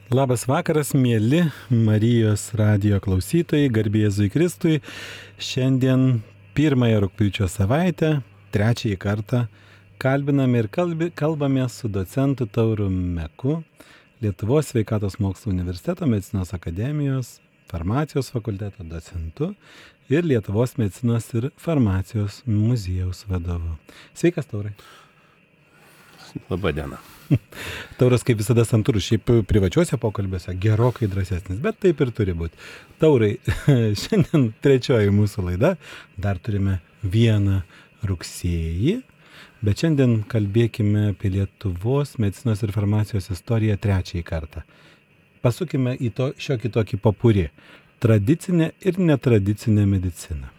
Labas vakaras, mėly Marijos radijo klausytojai, garbė Jėzui Kristui. Šiandien 1 rugpjūčio savaitę, 3 kartą kalbiname ir kalbame su docentu Tauru Meku, Lietuvos sveikatos mokslų universiteto medicinos akademijos, farmacijos fakulteto docentu ir Lietuvos medicinos ir farmacijos muziejaus vadovu. Sveikas, Taurai. Labą dieną. Tauras kaip visada santūrus, šiaip privačiuose pokalbiuose gerokai drąsesnis, bet taip ir turi būti. Taurai, šiandien 3 mūsų laida, dar turime 1 rugsėjį, bet šiandien kalbėkime apie Lietuvos medicinos ir farmacijos istoriją 3 kartą. Pasukime į šiokį tokį popurį - tradicinę ir netradicinę mediciną.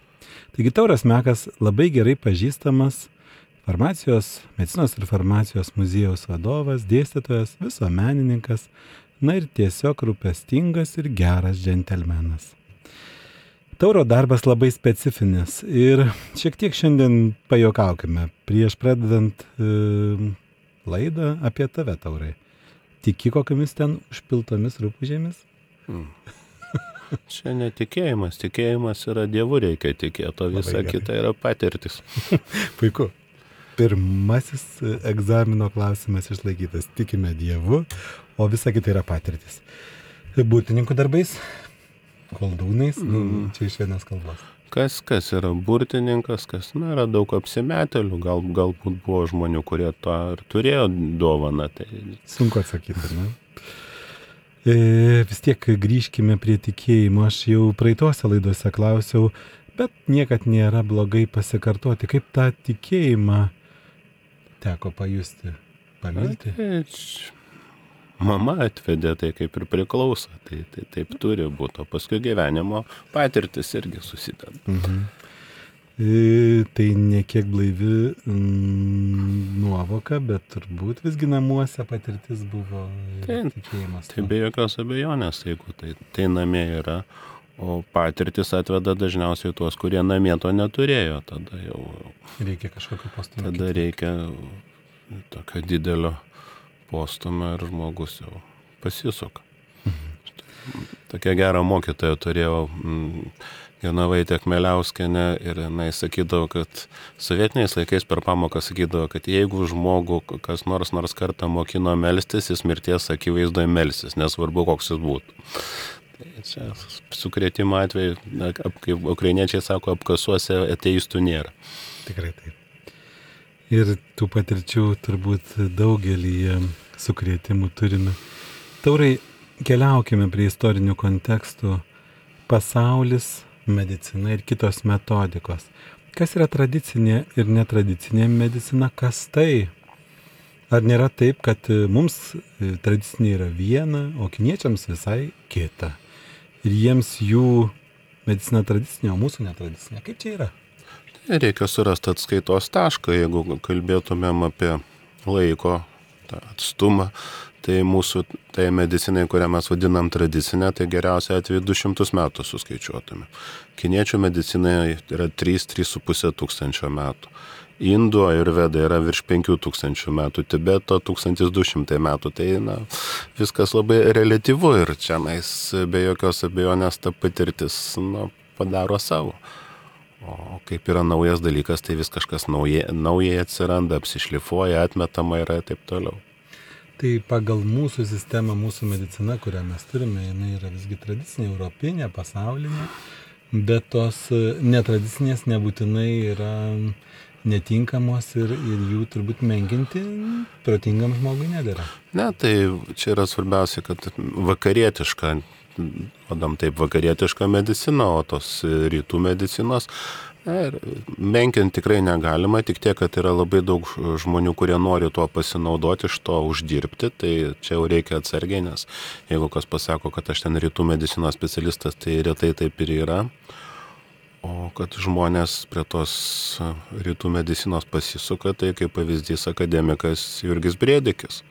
Taigi Tauras Mekas labai gerai pažįstamas farmacijos, medicinos ir farmacijos muziejaus vadovas, dėstytojas, visuomenininkas, na ir tiesiog rūpestingas ir geras džentelmenas. Tauro darbas labai specifinis ir šiek tiek šiandien pajuokaukime prieš pradedant laidą apie tave, Taurai. Tiki kokiamis ten užpiltomis rupūžėmis? Čia netikėjimas, tikėjimas yra Dievu reikia tikėti, o visa kita yra patirtis. Puiku. Pirmasis egzamino klausimas išlaikytas. Tikime Dievu, o visa kita yra patirtis. Burtininkų darbais, koldūnais, čia iš vienos kalbos. Kas yra burtininkas, yra daug apsimetėlių, galbūt buvo žmonių, kurie to ir turėjo dovaną. Tai... Sunku atsakyti, ne? Vis tiek grįžkime prie tikėjimo. Aš jau praeitose laidose klausiau, bet niekad nėra blogai pasikartoti, kaip tą tikėjimą teko pajusti, pamilti. Mama atvedė, tai kaip ir priklauso, tai taip turi būti, o paskui gyvenimo patirtis irgi susideda. Tai ne kiek blaivi nuovoka, bet turbūt visgi namuose patirtis buvo tikėjimas. Tai be jokios abejonės, jeigu tai namie yra, o patirtis atveda dažniausiai tuos, kurie namie to neturėjo, tada jau... Reikia kažkokio postumio. Tada reikia tokio didelio postumio ir žmogus jau pasisuka. Tokia gera mokytoja turėjau Jonavaitė Kmeliauskienė ir jinai sakydavo, kad sovietiniais laikais per pamoką sakydavo, kad jeigu žmogų kas nors kartą mokino melstis, jis mirties akivaizdoje melsis, nesvarbu koks jis būtų. Tai čia sukrėtimo atveju, kaip ukrainiečiai sako, apkasuose ateistų nėra. Tikrai taip. Ir tų patirčių turbūt daugelį sukrėtimų turime. Taurai, keliaukime prie istorinių kontekstų. Pasaulis, medicina ir kitos metodikos. Kas yra tradicinė ir netradicinė medicina? Kas tai? Ar nėra taip, kad mums tradicinė yra viena, o kiniečiams visai kita? Ir jiems jų medicina tradicinė, o mūsų netradicinė. Kaip čia yra? Reikia surasti atskaitos tašką, jeigu kalbėtumėm apie laiko atstumą, tai mūsų medicinai, kurią mes vadinam tradicinę, tai geriausia atveju 200 metų suskaičiuotume. Kiniečių medicinai yra 3-3,5 tūkstančio metų. Indų ajurveda yra virš 5,000 metų, Tibeto 1200 metų, tai viskas labai reliatyvu ir čia be jokios abejonės ta patirtis padaro savo. O kaip yra naujas dalykas, tai vis kažkas naujai atsiranda, apsišlifuoja, atmetama yra ir taip toliau. Tai pagal mūsų sistemą, mūsų medicina, kurią mes turime, jinai yra visgi tradicinė, europinė, pasaulinė, bet tos netradicinės nebūtinai yra netinkamos ir jų turbūt menkinti protingam žmogui nedėra. Ne, tai čia yra svarbiausia, kad vakarietiška medicina, o tos rytų medicinos menkinti tikrai negalima, tik tiek, kad yra labai daug žmonių, kurie nori tuo pasinaudoti, iš to uždirbti, tai čia jau reikia atsargiai, nes jeigu kas pasako, kad aš ten rytų medicinos specialistas, tai retai taip ir yra. O kad žmonės prie tos rytų medicinos pasisuka, tai kaip pavyzdys akademikas Jurgis Brėdikis,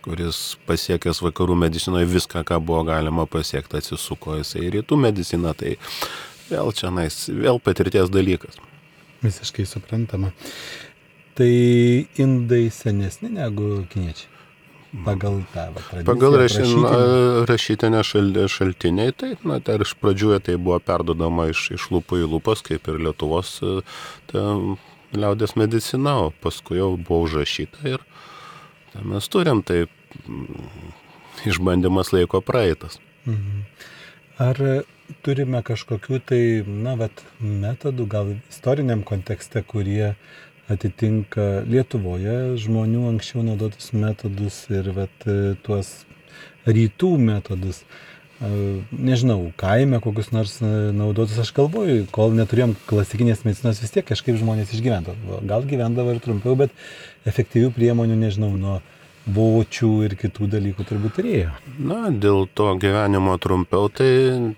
kuris pasiekęs vakarų medicinoje viską, ką buvo galima pasiekti, atsisuko jisai į rytų mediciną, tai vėl patirties dalykas. Visiškai suprantama. Tai indai senesni negu kiniečiai? pagal tą tradiciją. Pagal rašytinę šaltiniai, tai, tai iš pradžių tai buvo perdodama iš lūpų į lūpas, kaip ir Lietuvos liaudės medicina, o paskui jau buvo užrašyta ir mes turim, tai išbandymas laiko praeitas. Ar turime kažkokių tai, metodų, gal istoriniam kontekste, kurie atitinka Lietuvoje žmonių anksčiau naudotus metodus ir tuos rytų metodus? Nežinau, kaime kokius nors naudotus, aš galvoju, kol neturėjom klasikinės medicinos, vis tiek kažkaip žmonės išgyvendavo. Gal gyvendavo ir trumpiau, bet efektyvių priemonių, nežinau, nuo vočių ir kitų dalykų turbūt turėjo. Dėl to gyvenimo trumpiau, tai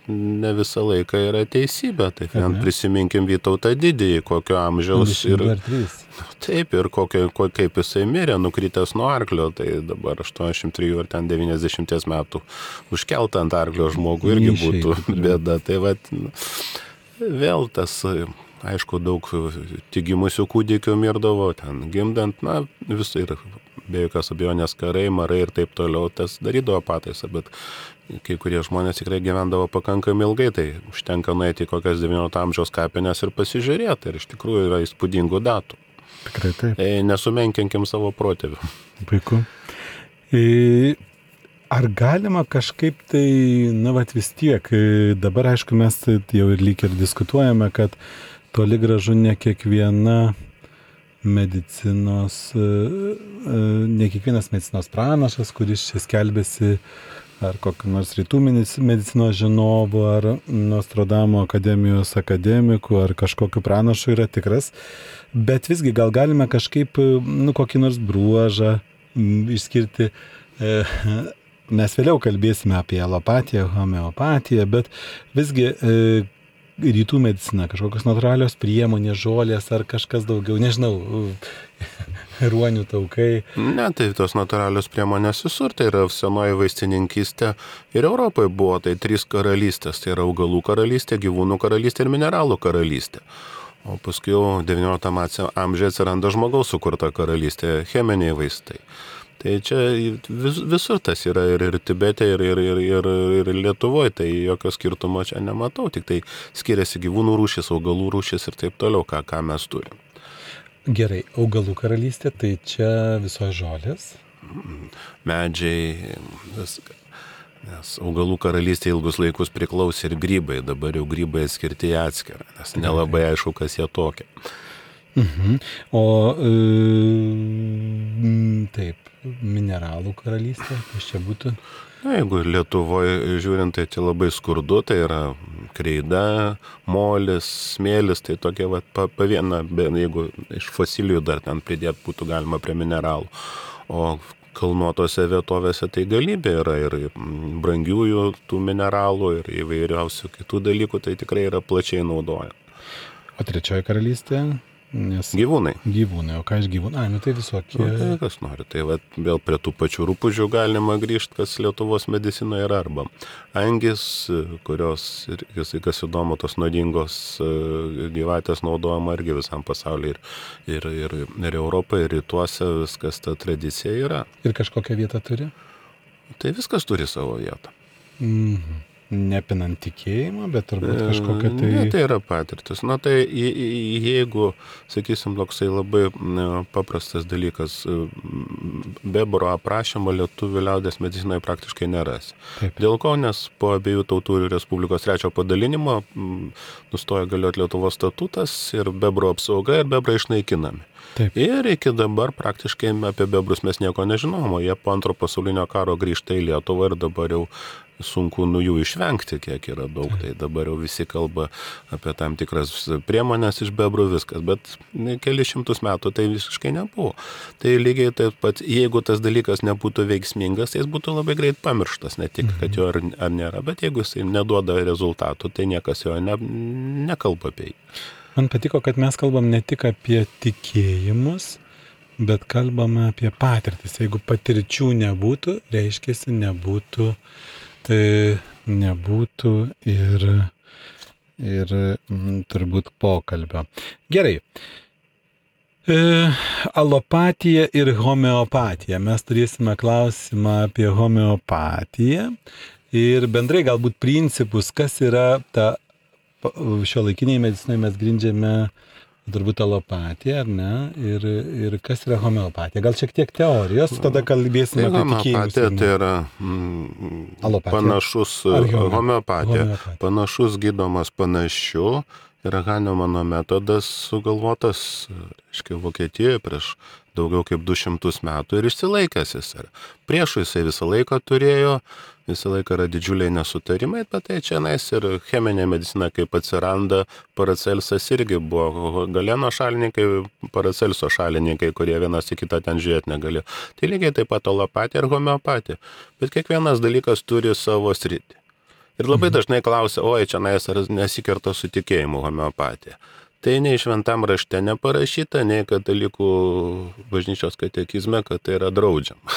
ne visą laiką yra teisybė. Tai prisiminkim Vytautą Didįjį, kokio amžiaus taip, ir kaip jisai mirė, nukritęs nuo arklio, tai dabar 83 ar 90 metų užkeltą ant arklio žmogų irgi būtų bėda. Tai vėl tas, aišku, daug tik gimusių kūdikių mirdavo, ten gimdant, visai ir be jokios abejonės karai, marai ir taip toliau, tas darydavo pataisą, bet kai kurie žmonės tikrai gyvendavo pakankamai ilgai, tai užtenka nueiti į kokias 19 amžiaus kapines ir pasižiūrėti, ir iš tikrųjų yra įspūdingų datų. Tikrai taip. Nesumenkinkim savo protėvių. Puiku. Ar galima kažkaip tai, vis tiek, dabar aišku mes jau ir lyg ir diskutuojame, kad toli gražu ne kiekvienas medicinos pranašas, kuris čia skelbėsi ar kokį nors rytų medicinos žinovų, ar Nostradamo akademijos akademikų, ar kažkokiu pranašu yra tikras, bet visgi gal galime kažkaip, kokį nors bruožą išskirti. Mes vėliau kalbėsime apie alopatiją, homeopatiją, bet visgi rytų medicina, kažkokios natūralios priemonės, žolės ar kažkas daugiau, nežinau, ruonių taukai. Tai tos natūralios priemonės visur, tai yra senoji vaistininkystė ir Europoje buvo, tai 3 karalystės, tai yra augalų karalystė, gyvūnų karalystė ir mineralų karalystė. O paskui jau 19 amžiuje atsiranda žmogaus sukurta karalystė, cheminiai vaistai. Tai čia visur tas yra ir Tibete, ir Lietuvoje, tai jokio skirtumo čia nematau, tik tai skiriasi gyvūnų rūšis, augalų rūšis ir taip toliau, ką mes turim. Gerai, augalų karalystė, tai čia visos žolės? Medžiai, viską. Nes augalų karalystė ilgus laikus priklausė ir grybai, dabar jau grybai skirti į atskirą, nes nelabai aišku, kas jie tokie. O taip, mineralų karalystė, kas čia būtų? Jeigu Lietuvoje žiūrint, tai labai skurdu, tai yra kreida, molis, smėlis, tai tokie paviena, jeigu iš fosilijų dar ten pridėt būtų galima prie mineralų. O kalnuotose vietovėse tai galybė yra ir brangiųjų tų mineralų ir įvairiausių kitų dalykų, tai tikrai yra plačiai naudojama. O trečioji karalystė? Gyvūnai. Gyvūnai, o ką iš gyvūnų? Tai visokie. Tai kas nori, tai vėl prie tų pačių rupūžių galima grįžti, kas Lietuvos medicinoje yra, arba angis, kurios, kas įdomu, tos nuodingos gyvatės naudojama irgi visam pasaulyje ir Europoje, ir rytuose viskas ta tradicija yra. Ir kažkokią vietą turi? Tai viskas turi savo vietą. Nepinant tikėjimą, bet turbūt kažkokia tai... Ne, tai yra patirtis. Tai jeigu, sakysim, toksai labai paprastas dalykas, bebro aprašymo lietuvių liaudės medicinoje praktiškai nerasi. Taip. Dėl ko, nes po abiejų tautų Respublikos 3 padalinimo nustojo galioti Lietuvos statutas ir bebro apsauga ir bebrai išnaikinami. Taip. Ir iki dabar praktiškai apie bebrus mes nieko nežinom, o jie po Antro pasaulinio karo grįžta į Lietuvą ir dabar jau sunku jų išvengti, kiek yra daug. Tai dabar jau visi kalba apie tam tikras priemonės iš bebrų, viskas, bet keli šimtus metų tai visiškai nebuvo. Tai lygiai taip pat, jeigu tas dalykas nebūtų veiksmingas, tai jis būtų labai greit pamirštas, ne tik, kad jo ar nėra, bet jeigu jis neduoda rezultatų, tai niekas jo nekalba apie jį. Man patiko, kad mes kalbam ne tik apie tikėjimus, bet kalbame apie patirtis. Jeigu patirčių nebūtų, reiškiasi nebūtų ir turbūt pokalbio. Gerai. Alopatija ir homeopatija. Mes turėsime klausimą apie homeopatiją ir bendrai galbūt principus, kas yra ta šiuolaikiniai medicinai mes grindžiame turbūt alopatija, ar ne? Ir kas yra homeopatija? Gal šiek tiek teorijos, tada kalbėsime apie tikėjimus. Homeopatija tai yra panašus, homeopatija, panašus gydomas panašiu. Yra Hahnemano metodas sugalvotas, reiškia, Vokietijoje prieš daugiau kaip 200 metų ir išsilaikęs jis yra. Priešų jisai visą laiką turėjo, visą laiką yra didžiuliai nesutarimai, bet tai čia nais ir cheminė medicina, kaip atsiranda, Paracelsas irgi buvo Galeno šalininkai, Paracelso šalininkai, kurie vienas į kitą ten žiūrėti negalėjo. Tai lygiai taip pat alopatija ir homeopatija. Bet kiekvienas dalykas turi savo sritį. Ir labai dažnai klausia, oi, čia nesikerta su tikėjimu homeopatija. Tai nei šventam rašte neparašyta, nei katalikų bažnyčios katekizme, kad tai yra draudžiama.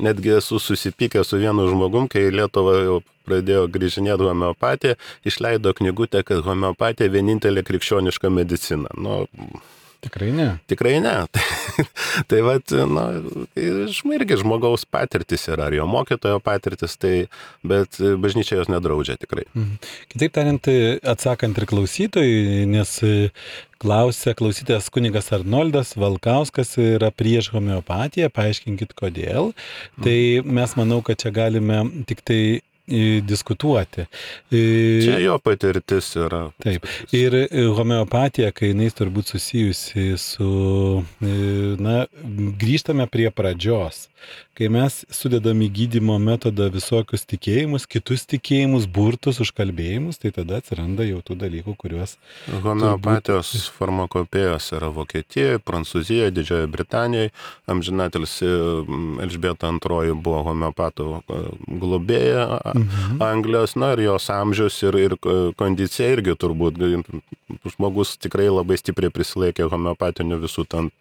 Netgi esu susipykęs su vienu žmogum, kai Lietuva jau pradėjo grįžinėti homeopatiją, išleido knygutę, kad homeopatija vienintelė krikščioniška medicina. Tikrai ne. Tikrai ne. Tai vat, irgi žmogaus patirtis yra, ar jo mokytojo patirtis, bet bažnyčia jos nedraudžia tikrai. Kitaip tariant, atsakant ir klausytojui, nes klausytojas kunigas Arnoldas Valkauskas yra prieš homeopatiją, paaiškinkit kodėl. Tai mes manau, kad čia galime tik tai diskutuoti. Čia jo patirtis yra. Taip. Ir homeopatija, kai jinai turbūt susijusi su, grįžtame prie pradžios. Kai mes sudedam į gydymo metodą visokius tikėjimus, kitus tikėjimus, burtus, užkalbėjimus, tai tada atsiranda jau tų dalykų, kuriuos... Homeopatijos farmakopėjos yra Vokietijoje, Prancūzijoje, Didžiojoje Britanijoje. Amžinatilsi Elžbieta II buvo homeopatų globėja Anglijos, ir jos amžius ir kondicija irgi turbūt. Žmogus tikrai labai stipriai prisilaikė homeopatinių visų ten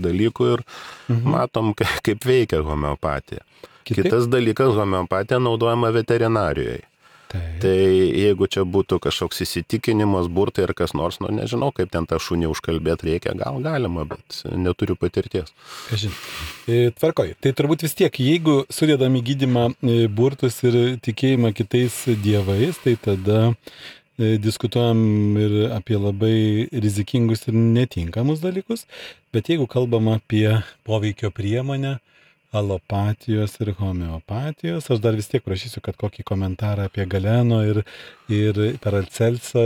dalykų ir matom, kaip veikia homeopatija. Kitas dalykas, homeopatija naudojama veterinarijoje. Tai jeigu čia būtų kažkoks įsitikinimas, burtai ar kas nors, nežinau, kaip ten tą šunį užkalbėti reikia, gal galima, bet neturiu patirties. Tvarkoj. Tai turbūt vis tiek, jeigu sudedam į gydymą burtus ir tikėjimą kitais dievais, tai tada diskutuojam ir apie labai rizikingus ir netinkamus dalykus, bet jeigu kalbam apie poveikio priemonę, alopatijos ir homeopatijos, aš dar vis tiek prašysiu, kad kokį komentarą apie Galeno ir Paracelso,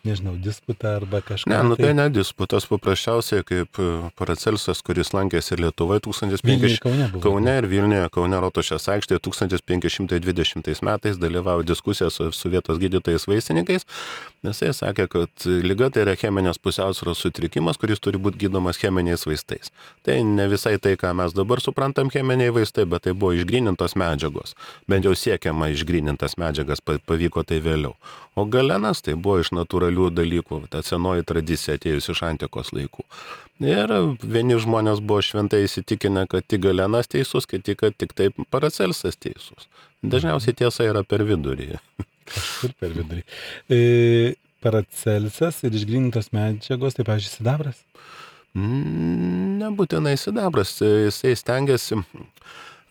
nežinau, disputą arba kažką. Tai ne disputas, paprasčiausiai kaip Paracelsas, kuris lankėsi Lietuvoje 1500 Kaune ir Vilniuje, Kaune Rotušės aikštėje 1520 metais dalyvavo diskusijose su vietos gydytojais vaistininkais, nes jie sakė, kad liga tai yra cheminės pusiausvyros sutrikimas, kuris turi būti gydomas cheminiais vaistais. Tai ne visai tai, ką mes dabar suprantam cheminiai vaistai, bet tai buvo išgrynintos medžiagos. Bent jau siekiama išgrynintas medžiagas, pavyko tai vėliau. O Galenas tai buvo iš natūralių dalykų, ta senoji tradicija atėjus iš antikos laikų. Ir vieni žmonės buvo šventai įsitikinę, kad tik Galenas teisus, kiti, kad tik taip Paracelsas teisus. Dažniausiai tiesa yra per vidurį. Kažkur per vidurį. Paracelsas ir išgrynintos medžiagos, tai pavyzdžiui, sidabras? Nebūtinai sidabras, jisai stengiasi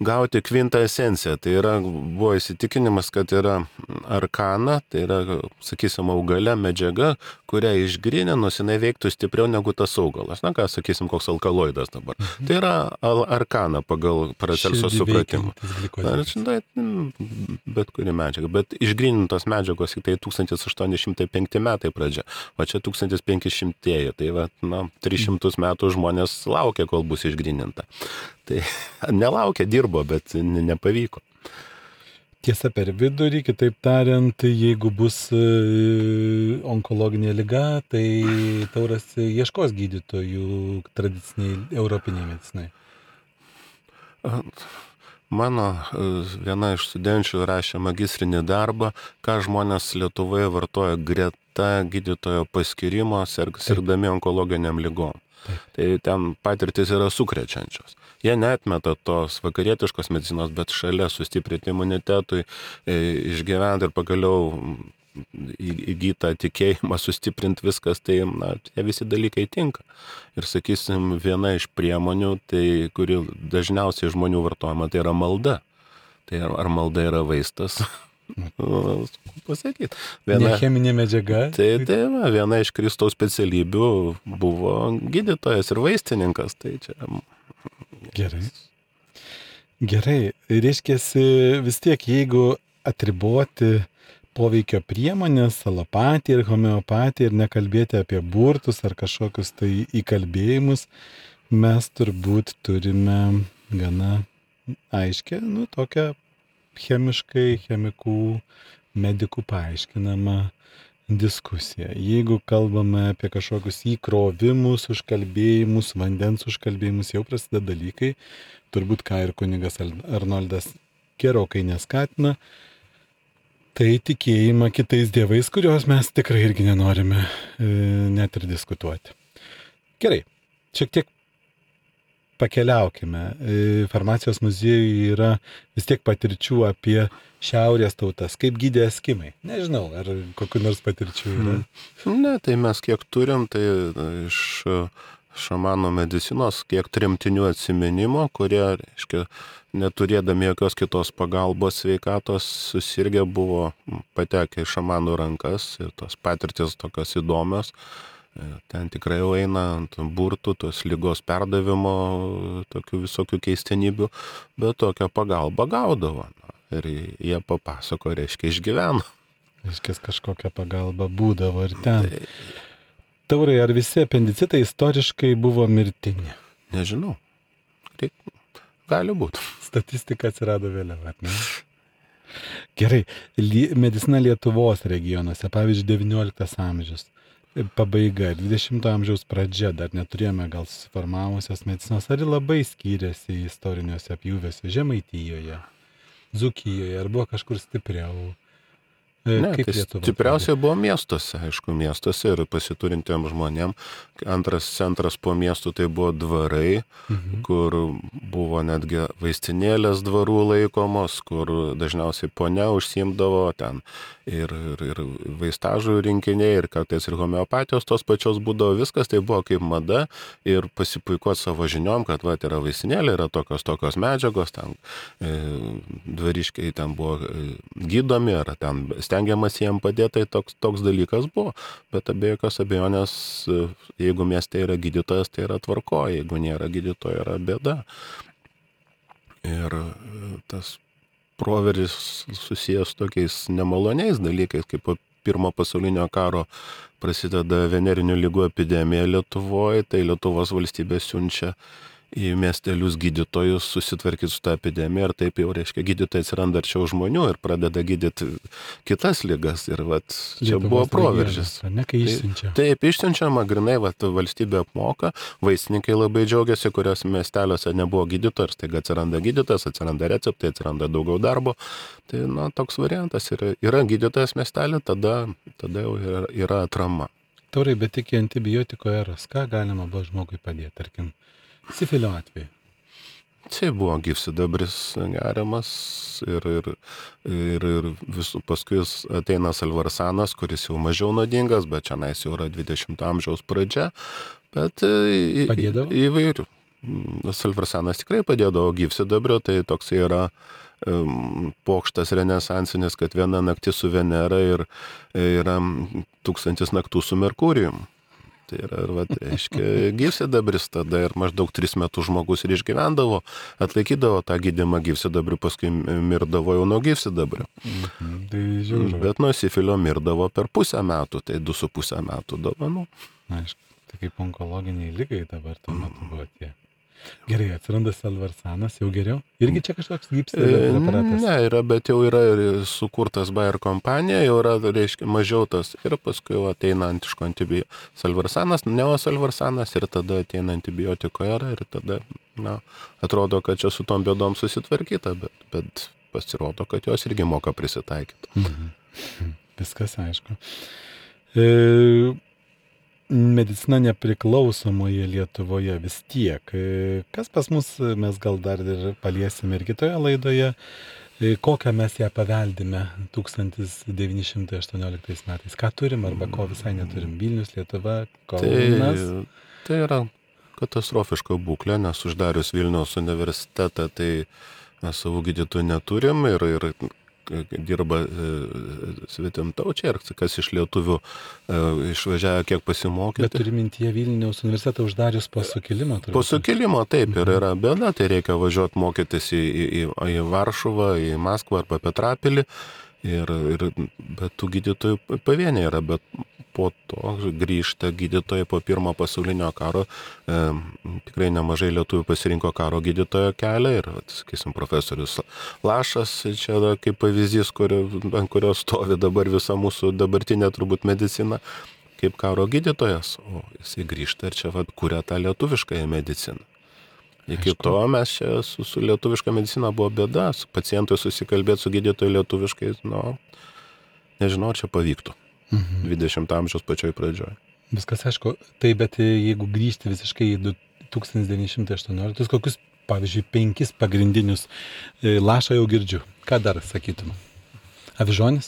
gauti kvintesenciją. Tai yra, buvo įsitikinimas, kad yra arkana, tai yra, sakysim, augalė medžiaga, kurią išgryninus, jinai veiktų stipriau negu tas augalas. Ką, sakysim, koks alkaloidas dabar. Tai yra arkana pagal Paracelso supratimą. Bet kuri medžiaga. Bet išgrynintos medžiagos tai 1805 metai pradžia, o čia 1500-ieji. Tai 300 metų žmonės laukia, kol bus išgryninta. Tai nelaukia, dirbo, bet nepavyko. Tiesa per vidurį, kitaip tariant, jeigu bus onkologinė liga, tai Tauras ieškos gydytojų tradiciniai europiniai medicinai. Mano viena iš studenčių rašė magistrinį darbą, ką žmonės Lietuvoje vartoja greta gydytojo paskyrimo, sirgdami onkologiniam ligom. Tai ten patirtis yra sukrečiančios. Jie neatmeta tos vakarietiškos medicinos, bet šalia sustiprinti imunitetui, išgyventi ir pagaliau įgytą tikėjimą sustiprinti viskas, tai tie visi dalykai tinka. Ir sakysim, viena iš priemonių, tai kuri dažniausiai žmonių vartojama, tai yra malda. Tai ar malda yra vaistas? Pasakyti. Ne cheminė medžiaga. Tai viena iš Kristaus specialybių buvo gydytojas ir vaistininkas. Tai čia... Gerai. Reiškiasi vis tiek, jeigu atriboti poveikio priemonės, alopatiją ir homeopatiją ir nekalbėti apie burtus ar kažkokius tai įkalbėjimus, mes turbūt turime gana aiškę, tokią chemikų, medikų paaiškinamą diskusiją. Jeigu kalbame apie kažkokius įkrovimus, užkalbėjimus, vandens užkalbėjimus, jau prasideda dalykai, turbūt ką ir kunigas Arnoldas gerokai neskatina, tai tikėjimą kitais dievais, kuriuos mes tikrai irgi nenorime net ir diskutuoti. Gerai, šiek tiek pakeliaukime. Farmacijos muziejuje yra vis tiek patirčių apie šiaurės tautas. Kaip gydė eskimai? Nežinau, ar kokių nors patirčių yra? Ne, tai mes kiek turim, tai iš šamanų medicinos, kiek tremtinių atsiminimo, kurie, reiškia, neturėdami jokios kitos pagalbos sveikatos, susirgę buvo patekę į šamanų rankas ir tos patirtis tokios įdomios. Ten tikrai jau eina ant burtų, tos ligos perdavimo, tokių visokių keistenybių, bet tokią pagalbą gaudavo. Ir jie papasako, reiškia, išgyveno. Reiškia, kažkokia pagalba būdavo ir ten. Taurai, ar visi apendicitai istoriškai buvo mirtini? Nežinau. Gali būti. Statistika atsirado vėliau, ar ne? Gerai. Medicina Lietuvos regionuose, pavyzdžiui, 19 amžius. Pabaiga ir 20 amžiaus pradžia, dar neturėjome gal susiformavusios medicinos, ar labai skyrėsi istoriniuose apjūviuose Žemaitijoje, Dzūkijoje, ar buvo kažkur stipriau? Ne, tai stipriausiai buvo miestuose, aišku, miestuose ir pasiturintiem žmonėm. Antras centras po miestų tai buvo dvarai, kur buvo netgi vaistinėlės dvarų laikomos, kur dažniausiai ponia užsiimdavo ten ir vaistažų rinkiniai, ir kartais ir homeopatijos tos pačios būdavo, viskas tai buvo kaip mada ir pasipuikuoti savo žiniom, kad yra vaistinėlė, yra tokios medžiagos, ten dvariškiai ten buvo gydomi, ar ten stengiamas jiem padėti, tai toks dalykas buvo, bet be jokios abejonės, jeigu mieste yra gydytojas, tai yra tvarko, jeigu nėra gydytojo, yra bėda. Ir tas proveržis susijęs tokiais nemaloniais dalykais, kaip po Pirmo pasaulinio karo prasideda venerinių ligų epidemija Lietuvoje, tai Lietuvos valstybė siunčia į miestelius gydytojus susitvarkyti su tą epidemiją ir taip jau, reiškia, gydytojai atsiranda arčiau žmonių ir pradeda gydyti kitas ligas ir čia buvo proveržis. Ne, kai išsiunčia. Taip, išsiunčiama, grinai, valstybė apmoka, vaistininkai labai džiaugiasi, kurios miesteliuose nebuvo gydytojų ir staiga atsiranda gydytojas, atsiranda receptai, atsiranda daugiau darbo. Tai, toks variantas yra gydytojas miestelė, tada jau yra atrama. Taurai, bet iki antibiotiko eros, ką galima buvo žmogui padėti, tarkim, sifilio atveju? Tai buvo gyvsidabris geriamas ir visų paskui ateina salvarsanas, kuris jau mažiau nuodingas, bet čia jau yra 20 amžiaus pradžia, bet įvairių. Salvarsanas tikrai padėdavo, gyvsidabrio, tai toks yra pokštas renesansinis, kad viena naktis su Venera ir yra 1000 naktų su Merkurijum. Tai yra, reiškia, gyvsidabris tada ir maždaug 3 metus žmogus ir išgyvendavo, atlaikydavo tą gydymą gyvsidabriu, paskui mirdavo jau nuo gyvsidabrio. Bet nuo sifilio mirdavo per pusę metų, tai 2,5 metų dovanų. Aišku, tai kaip onkologiniai lygai dabar tuo metu buvo tie. Gerai, atsiranda salvarsanas, jau geriau? Irgi čia kažkoks gyvsidabrio preparatas? Ne, bet jau yra sukurtas Bayer kompanija, jau yra, reiškia, mažiau tas ir paskui ateina antiško antibiotikų. Salvarsanas, neosalvarsanas ir tada ateina antibiotiko era ir tada, atrodo, kad čia su tom bėdom susitvarkyta, bet pasirodo, kad jos irgi moka prisitaikyti. Viskas aišku. Medicina nepriklausomoje Lietuvoje vis tiek. Kas pas mus, mes gal dar ir paliesime ir kitoje laidoje, kokią mes ją paveldime 1918 metais. Ką turim arba ko visai neturim? Vilnius, Lietuva, Kaunas. Tai yra katastrofiška būklė, nes uždarius Vilniaus universitetą, tai mes savų gydytojų neturim ir dirba svetimtaučiai, ir kas iš lietuvių išvažiavo kiek pasimokyti. Bet turi mintyje Vilniaus universitetą uždarius po sukilimo. Po sukilimo, taip, ir yra bėda, tai reikia važiuoti mokytis į Varšuvą, į Maskvą arba Petrapilį, bet tų gydytojų pavieniai yra, bet po to grįžta gydytojai po pirmo pasaulinio karo, tikrai nemažai lietuvių pasirinko karo gydytojo kelią ir, sakysim, profesorius Lašas, čia kaip pavyzdys, ant kurio stovi dabar visa mūsų dabartinė turbūt medicina, kaip karo gydytojas, o jisai grįžta ir čia kuria tą lietuviškąją mediciną. Iki to mes čia su lietuviška medicina buvo bėda, su pacientui susikalbėti su gydytoju lietuviškai, nežinau, ar čia pavyktų. 20 amžiaus pačioj pradžioj. Viskas aišku, tai bet jeigu grįžti visiškai į 1918, kokius, pavyzdžiui, 5 pagrindinius Lašą jau girdžiu. Ką dar sakytum? Avižonis?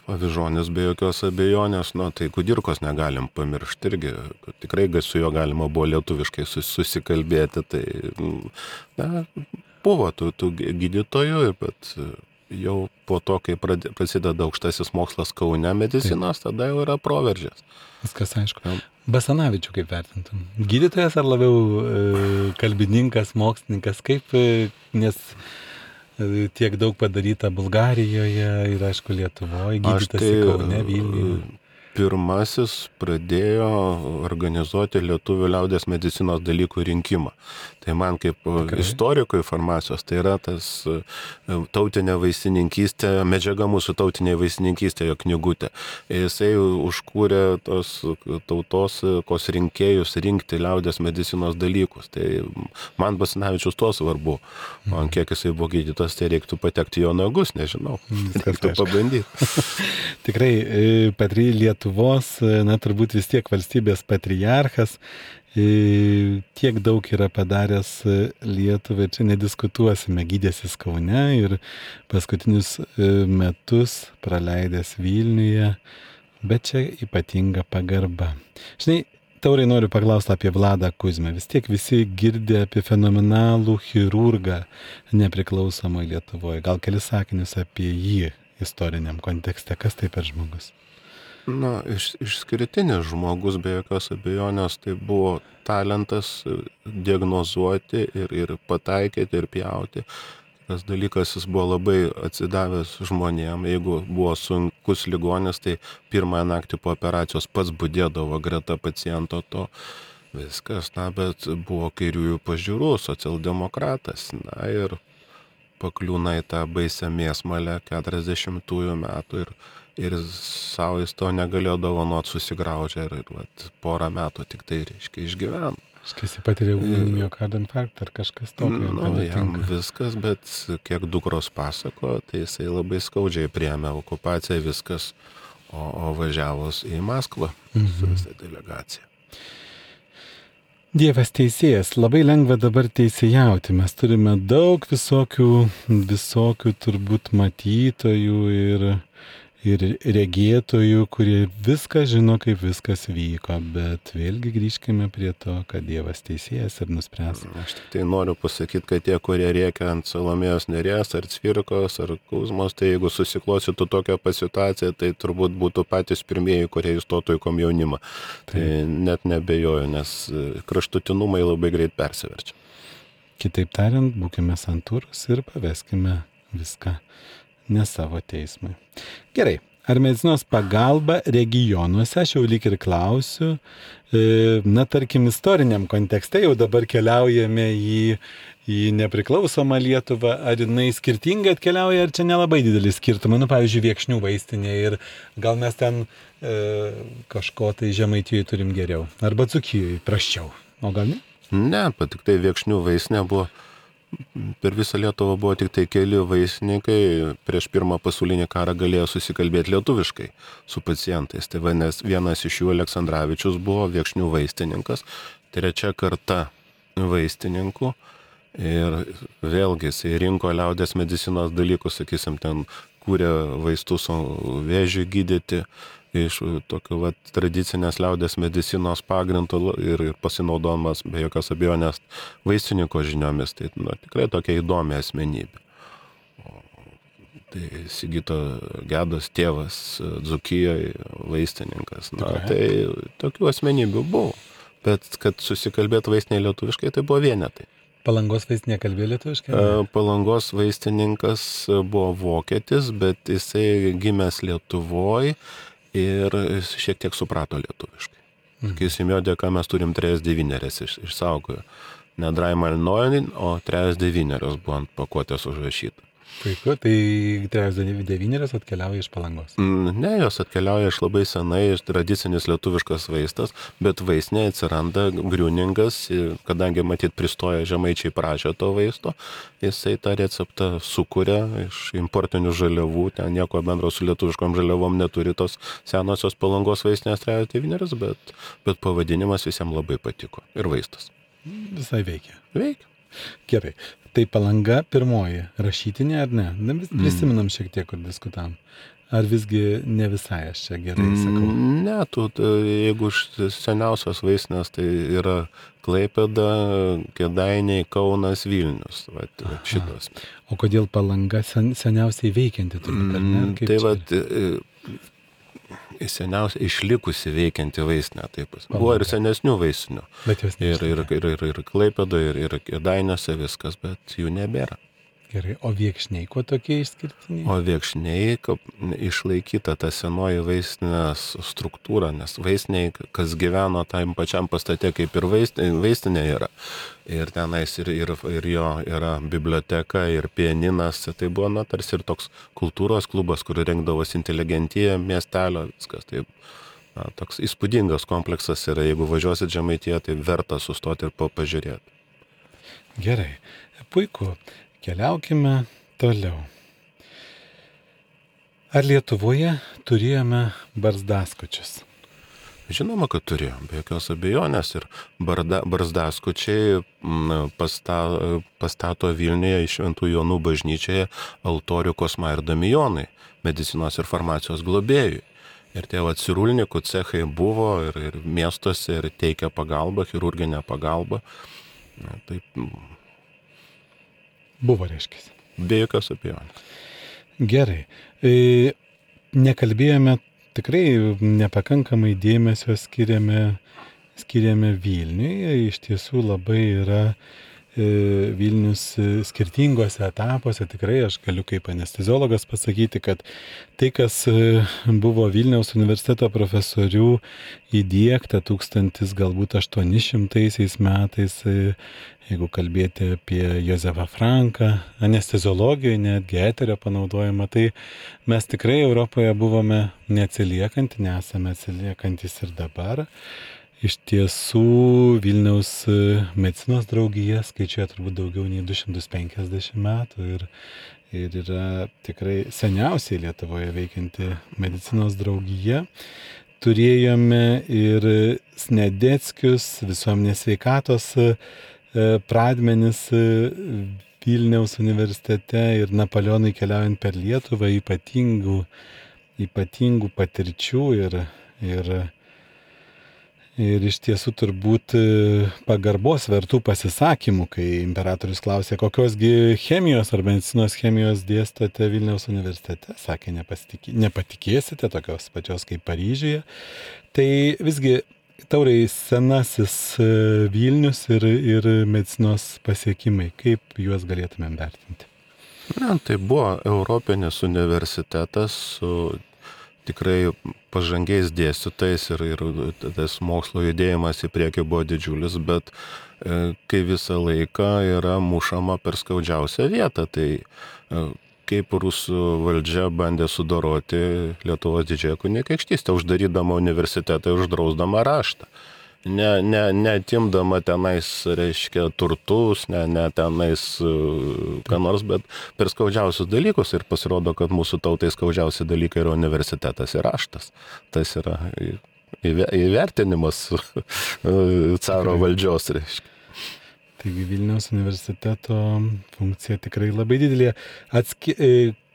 Avižonis be jokios abejonės, tai Kudirkos negalim pamiršti irgi, tikrai su juo galima buvo lietuviškai susikalbėti, tai buvo tų gydytojų, bet jau po to, kai prasideda aukštasis mokslas Kaune medicinos, tada jau yra proveržės. Viskas aišku. Basanavičių kaip vertintum? Gydytojas ar labiau kalbininkas, mokslininkas, nes tiek daug padaryta Bulgarijoje ir aišku Lietuvoje, gydytas į Kaune, Vilniuje. Pirmasis pradėjo organizuoti lietuvių liaudės medicinos dalykų rinkimą. Tai man kaip istorikui farmacijos, tai yra tas tautinė vaistininkystė, medžiaga mūsų tautinė vaistininkystė, jo knygutė. Jisai užkūrė tos tautosakos rinkėjus rinkti liaudės medicinos dalykus. Tai man Basanavičius to svarbu. Man kiek jisai buvo gydytas, tai reiktų patekti jo nagus, nežinau. Reiktų pabandyti. Tikrai, Lietuvos, turbūt vis tiek valstybės patriarchas, tiek daug yra padaręs Lietuvai, čia nediskutuosime, gydėsis Kaune ir paskutinius metus praleidęs Vilniuje, bet čia ypatinga pagarba. Žinai, Taurai, noriu paklausti apie Vladą Kuzmą. Vis tiek visi girdė apie fenomenalų chirurgą nepriklausomoje Lietuvoje. Gal kelis sakinius apie jį istoriniam kontekste. Kas tai per žmogus? Išskirtinis žmogus, be jokios abejonės, tai buvo talentas diagnozuoti ir pataikyti ir pjauti. Tas dalykas, jis buvo labai atsidavęs žmonėm. Jeigu buvo sunkus ligonis, tai pirmąją naktį po operacijos pats budėdavo greta paciento to. Viskas, bet buvo kairiųjų pažiūrų, socialdemokratas. Ir pakliūna į tą baisią mėsmalę 40-ųjų metų ir savo jis to negalėjo dovanot, susigraužė ir porą metų tik tai išgyveno. Jis patyrė miokardo infarktą ar kažkas tokio. Jam viskas, bet kiek dukros pasako, tai jisai labai skaudžiai priėmė okupaciją viskas, o važiavus į Maskvą su visą delegaciją. Dievas teisėjas, labai lengva dabar teisėjauti. Mes turime daug visokių turbūt matytojų ir regėtojų, kurie viską žino, kaip viskas vyko, bet vėlgi grįžkime prie to, kad Dievas teisėjas ir nuspręs. Aš tik tai noriu pasakyti, kad tie, kurie rėkia ant Salomėjos Nėries, ar Cvirkos, ar Kuzmos, tai jeigu susiklostytų tokią situaciją, tai turbūt būtų patys pirmieji, kurie įstotų į komjaunimą. Tai net nebejoju, nes kraštutinumai labai greit persiverčia. Kitaip tariant, būkime santūrūs ir paveskime viską ne savo teismui. Gerai, ar medicinos pagalba regionuose, aš jau lyg ir klausiu, tarkim, istoriniam kontekste jau dabar keliaujame į nepriklausomą Lietuvą, ar jinai skirtingai atkeliauja, ar čia nelabai didelis skirtumai, pavyzdžiui, Viekšnių vaistinė ir gal mes ten kažko tai Žemaitijoje turim geriau, arba Dzūkijoje prasčiau, o gal ne? Ne, tik tai Viekšnių vaistinė buvo. Per visą Lietuvą buvo tik tai keli vaistininkai, prieš pirmą pasaulinį karą galėjo susikalbėti lietuviškai su pacientais. Tai vienas iš jų Aleksandravičius buvo Viekšnių vaistininkas, trečia karta vaistininkų Ir vėlgi jisai rinko liaudės medicinos dalykus, sakysim, ten kūrė vaistus vėžiui gydyti iš tokio tradicinės liaudės medicinos pagrindų ir pasinaudodamas be jokios abejonės vaistininko žiniomis. Tai tikrai tokia įdomi asmenybė. Tai Sigito Gedos tėvas Dzūkijoje vaistininkas. Tai tokių asmenybių buvo. Bet kad susikalbėti vaistiniai lietuviškai, tai buvo vienetai. Palangos vaistinė kalbėjo lietuviškai? Palangos vaistininkas buvo vokietis, bet jisai gimęs Lietuvoje ir šiek tiek suprato lietuviškai. Sakysim, jo dėka mes turim 3 devynerias išsaugojo. Ne Draimalnoin, o 3 devynerios buvo ant pakuotės užrašyta. Puiku, tai 3 devynerios atkeliauja iš Palangos. Ne, jos atkeliauja iš labai senai, iš tradicinis lietuviškas vaistas, bet vaistinė atsiranda Griuningas, kadangi matyt pristoja žemaičiai prašė to vaisto, jisai tą receptą sukuria iš importinių žaliavų, ten nieko bendro su lietuviškom žaliavom neturi tos senosios Palangos vaistinės 3 devynerios, bet pavadinimas visiems labai patiko ir vaistas. Visai veikia. Veikia. Gerai. Tai Palanga pirmoji, rašytinė ar ne? Prisiminam šiek tiek, kur diskutavom. Ar visgi ne visai aš čia gerai sakau? Ne, jeigu seniausios vaistinės, tai yra Klaipėda, Kėdainiai, Kaunas, Vilnius. Šitos. O kodėl Palanga seniausiai veikianti turbūt, ar ne? Tai seniausiai išlikusi veikianti vaistinė. Taip. Buvo ir senesnių vaistinių. Ir Klaipėda, ir Kėdainiuose viskas, bet jų nebėra. Gerai, o Viekšniai kuo tokie išskirtiniai? O Viekšniai išlaikyta ta senoji vaistinės struktūra, nes vaistiniai, kas gyveno tam pačiam pastate, kaip ir vaistinė yra. Ir tenais ir jo yra biblioteka, ir pianinas. Tai buvo tarsi ir toks kultūros klubas, kur rengdavosi inteligentija miestelio, viskas. Tai toks įspūdingas kompleksas yra. Jeigu važiuosit Žemaitiją, tai verta sustoti ir pažiūrėti. Gerai, puiku. Keliaukime toliau. Ar Lietuvoje turėjome barzdaskučius? Žinoma, kad turėjom, be jokios abejonės. Ir barzdaskučiai pastato Vilniuje iš Šventų Jonų bažnyčioje altorių Kosma ir Damijonai, medicinos ir farmacijos globėjui. Ir tie cirulnikų cechai buvo ir miestuose ir teikia pagalbą, chirurginę pagalbą. Taip. Buvo, reiškia. Be jokios abejonės. Gerai. Nekalbėjome, tikrai nepakankamai dėmesio skiriame Vilniui. Iš tiesų labai yra Vilnius skirtingose etapuose. Tikrai aš galiu kaip anesteziologas pasakyti, kad tai, kas buvo Vilniaus universiteto profesorių įdiegta 1800 metais, jeigu kalbėti apie Jozefą Franką, anesteziologijoje, netgi eterio panaudojimą, tai mes tikrai Europoje buvome neatsiliekanti, nesame atsiliekantis ir dabar. Iš tiesų Vilniaus medicinos draugija skaičiuoja turbūt daugiau nei 250 metų ir yra tikrai seniausiai Lietuvoje veikianti medicinos draugija. Turėjome ir Snedeckius, visuomenės sveikatos pradmenis Vilniaus universitete ir Napoleonui keliaujant per Lietuvą ypatingų patirčių ir iš tiesų turbūt pagarbos vertų pasisakymų, kai imperatorius klausė, kokiosgi chemijos ar medicinos chemijos dėstote Vilniaus universitete, sakė, nepatikėsite, tokios pačios kaip Paryžiuje. Tai visgi, Taurai, senasis Vilnius ir medicinos pasiekimai, kaip juos galėtumėm vertinti? Tai buvo Europinis universitetas su tikrai pažangiais dėstytojais ir tas mokslo judėjimas į priekį buvo didžiulis, bet kai visą laiką yra mušama per skaudžiausią vietą, tai kaip rusų valdžia bandė sudoroti Lietuvos didžiąją kunigaikštystę, uždarydama universitetą ir uždrausdama raštą. Neatimdama tenais, reiškia, turtus, ne tenais ką nors, bet per skaudžiausius dalykus ir pasirodo, kad mūsų tautai skaudžiausi dalykai yra universitetas ir raštas. Tas yra įvertinimas caro valdžios, reiškia. Taigi Vilniaus universiteto funkcija tikrai labai didelė.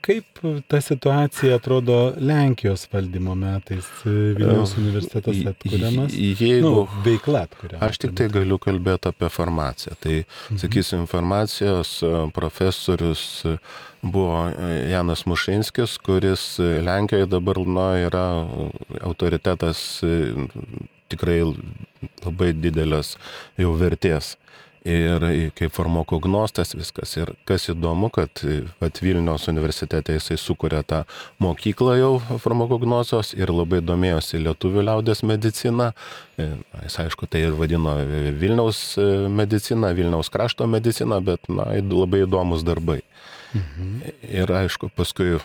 Kaip ta situacija atrodo Lenkijos valdymo metais? Vilniaus universitetas atkuriamas? Veikla atkuriama. Aš tik tai galiu kalbėti apie farmaciją. Tai, sakysim, farmacijos profesorius buvo Janas Mušinskis, kuris Lenkijoje dabar yra autoritetas tikrai labai didelės jau vertės. Ir kaip farmakognostas viskas. Ir kas įdomu, kad Vilniaus universitete jisai sukuria tą mokyklą jau farmakognozijos ir labai domėjosi lietuvių liaudės medicina. Jis aišku, tai ir vadino Vilniaus medicina, Vilniaus krašto medicina, bet labai įdomus darbai. Ir aišku, paskui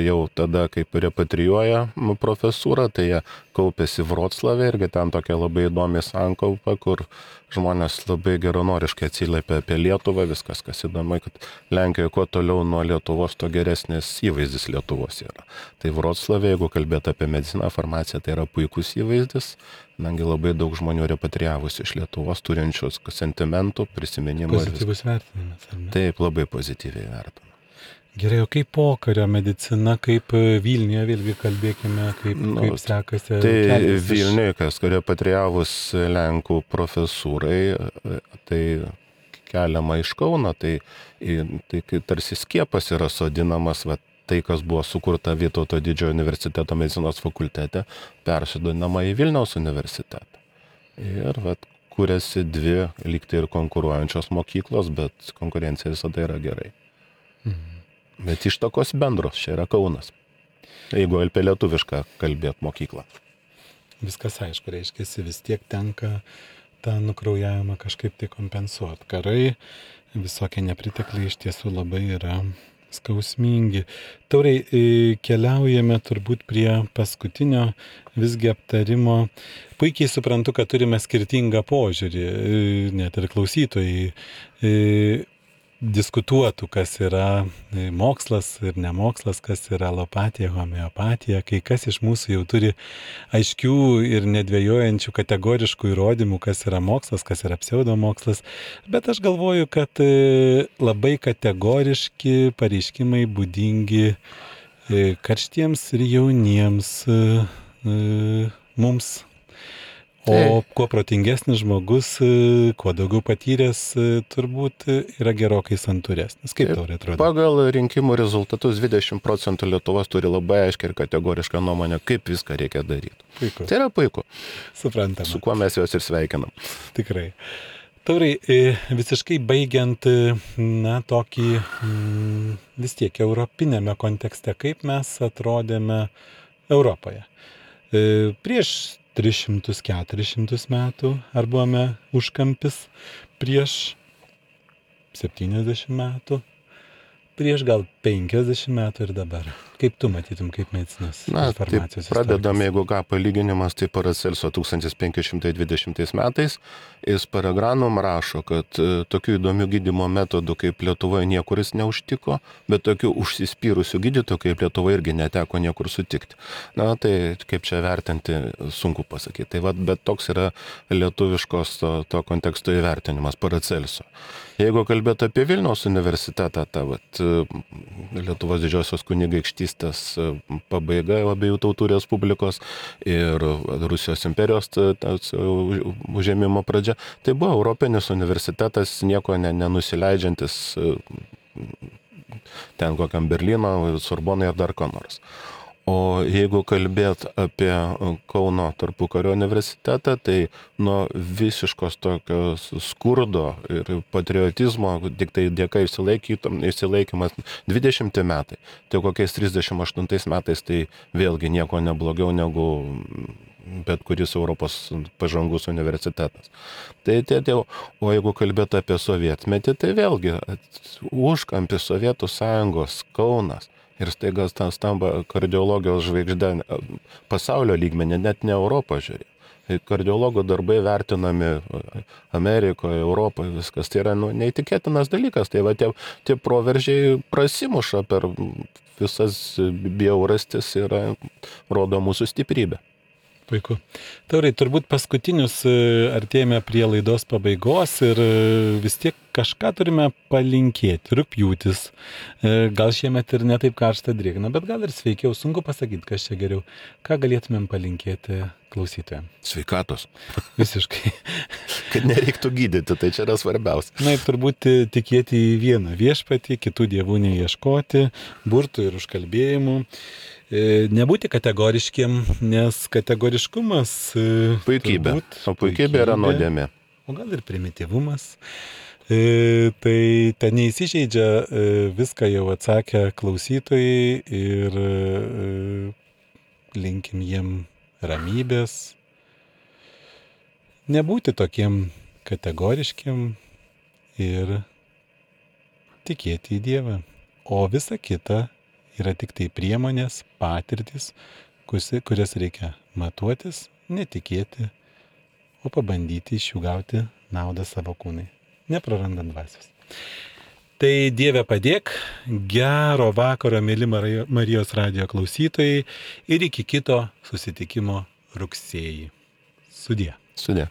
jau tada, kaip repatrijuoja profesūrą, tai jie kaupėsi Vroclave irgi ten tokia labai įdomi sankaupa, kur žmonės labai geranoriškai atsiliepia apie Lietuvą, viskas, kas įdomu, kad Lenkijoje kuo toliau nuo Lietuvos, to geresnis įvaizdis Lietuvos yra. Tai Vroclave, jeigu kalbėti apie mediciną, farmaciją, tai yra puikus įvaizdis, nangi labai daug žmonių repatrijavusi iš Lietuvos, turinčius sentimentų, prisiminimų. Pozityvus vertinimas, ar ne? Taip, labai pozityviai vertinama. Gerai, o kaip pokario medicina, kaip Vilniuje, vėlgi kalbėkime, kaip sekasi. Tai Vilniuje, kas repatrijavus Lenkų profesūrai, tai keliama iš Kauno, tai tarsi skiepas yra sodinamas, tai, kas buvo sukurta Vytauto didžiojo universiteto medicinos fakultete, persodinama į Vilniaus universitetą. Ir kūrėsi dvi lygtai ir konkuruojančios mokyklos, bet konkurencija visada yra gerai. Bet ištakos bendros, čia yra Kaunas. Jeigu apie lietuvišką kalbėt mokyklą. Viskas aišku, reiškia, vis tiek tenka tą nukraujavimą kažkaip tai kompensuoti. Karai, visokie nepritekliai iš tiesų labai yra skausmingi. Taurai, keliaujame turbūt prie paskutinio visgi aptarimo. Puikiai suprantu, kad turime skirtingą požiūrį, net ir klausytojai diskutuotų, kas yra mokslas ir nemokslas, kas yra alopatija, homeopatija, kai kas iš mūsų jau turi aiškių ir nedvėjojančių kategoriškų įrodymų, kas yra mokslas, kas yra pseudomokslas, bet aš galvoju, kad labai kategoriški pareiškimai būdingi karštiems ir jauniems mums. O kuo protingesnis žmogus, kuo daugiau patyręs, turbūt yra gerokai santūresnis. Kaip tau atrodo? Pagal rinkimų rezultatus 20% Lietuvos turi labai aiškiai ir kategorišką nuomonę, kaip viską reikia daryti. Puiku. Tai yra puiku. Suprantama. Su kuo mes juos ir sveikinam. Tikrai. Taurai, visiškai baigiant, tokį vis tiek europinėme kontekste, kaip mes atrodėme Europoje. Prieš 300-400 metų, ar buvome užkampis prieš 70 metų, prieš gal 50 metų ir dabar. Kaip tu matytum, kaip medicinos informacijos istorikas? Pradedam, jeigu ką, palyginimas, tai Paracelso 1520 metais. Jis Paragranum rašo, kad tokių įdomių gydymo metodų kaip Lietuvoje niekur jis neužtiko, bet tokių užsispyrusių gydytojų kaip Lietuvoje irgi neteko niekur sutikti. Tai kaip čia vertinti, sunku pasakyti. Tai bet toks yra lietuviškos to konteksto įvertinimas Paracelso. Jeigu kalbėtų apie Vilniaus universitetą, Lietuvos didžiosios kunigaikštystės pabaiga abiejų tautų respublikos ir Rusijos imperijos užėmimo pradžia, tai buvo Europinis universitetas, nieko nenusileidžiantis ten kokiam Berlyno, Sorbonai ar dar ko nors. O jeigu kalbėt apie Kauno tarpukario universitetą, tai nuo visiškos tokios skurdo ir patriotizmo, tik tai dėka išsilaikymas 20 metai, tai kokiais 38 metais tai vėlgi nieko neblogiau negu bet kuris Europos pažangus universitetas. O jeigu kalbėt apie sovietmetį, tai vėlgi užkampis Sovietų Sąjungos Kaunas. Ir staiga stamba kardiologijos žvaigždė pasaulio lygmenį, net ne Europą žiūri. Kardiologų darbai vertinami Amerikoje, Europoje, viskas. Tai yra neįtikėtinas dalykas. Tai tie proveržiai prasimuša per visas bjaurastis ir rodo mūsų stiprybę. Puiku. Taurai, turbūt paskutinius artėjame prie laidos pabaigos ir vis tiek kažką turime palinkėti. Rugpjūtis. Gal šiemet ir netaip karšta drėgna, bet gal ir sveikiau. Sunku pasakyti, kas čia geriau. Ką galėtumėm palinkėti klausytojams? Sveikatos. Visiškai. Kad nereiktų gydyti, tai čia yra svarbiausia. Na ir turbūt tikėti į vieną viešpatį, kitų dievų neieškoti, burtų ir užkalbėjimų. Nebūti kategoriškiem, nes kategoriškumas Puikybė. O puikybė yra nuodėmė. O gal ir primityvumas. Tai ten neįsižeidžia, viską jau atsakė klausytojai ir linkim jiem ramybės. Nebūti tokiem kategoriškiem ir tikėti į Dievą. O visa kita yra tik tai priemonės, patirtis, kurias reikia matuotis, netikėti, o pabandyti iš jų gauti naudą savo kūnai, neprarandant dvasios. Tai Dieve padėk, gero vakaro, mėly Marijos radijo klausytojai ir iki kito susitikimo rugsėjį. Sudie. Sudie.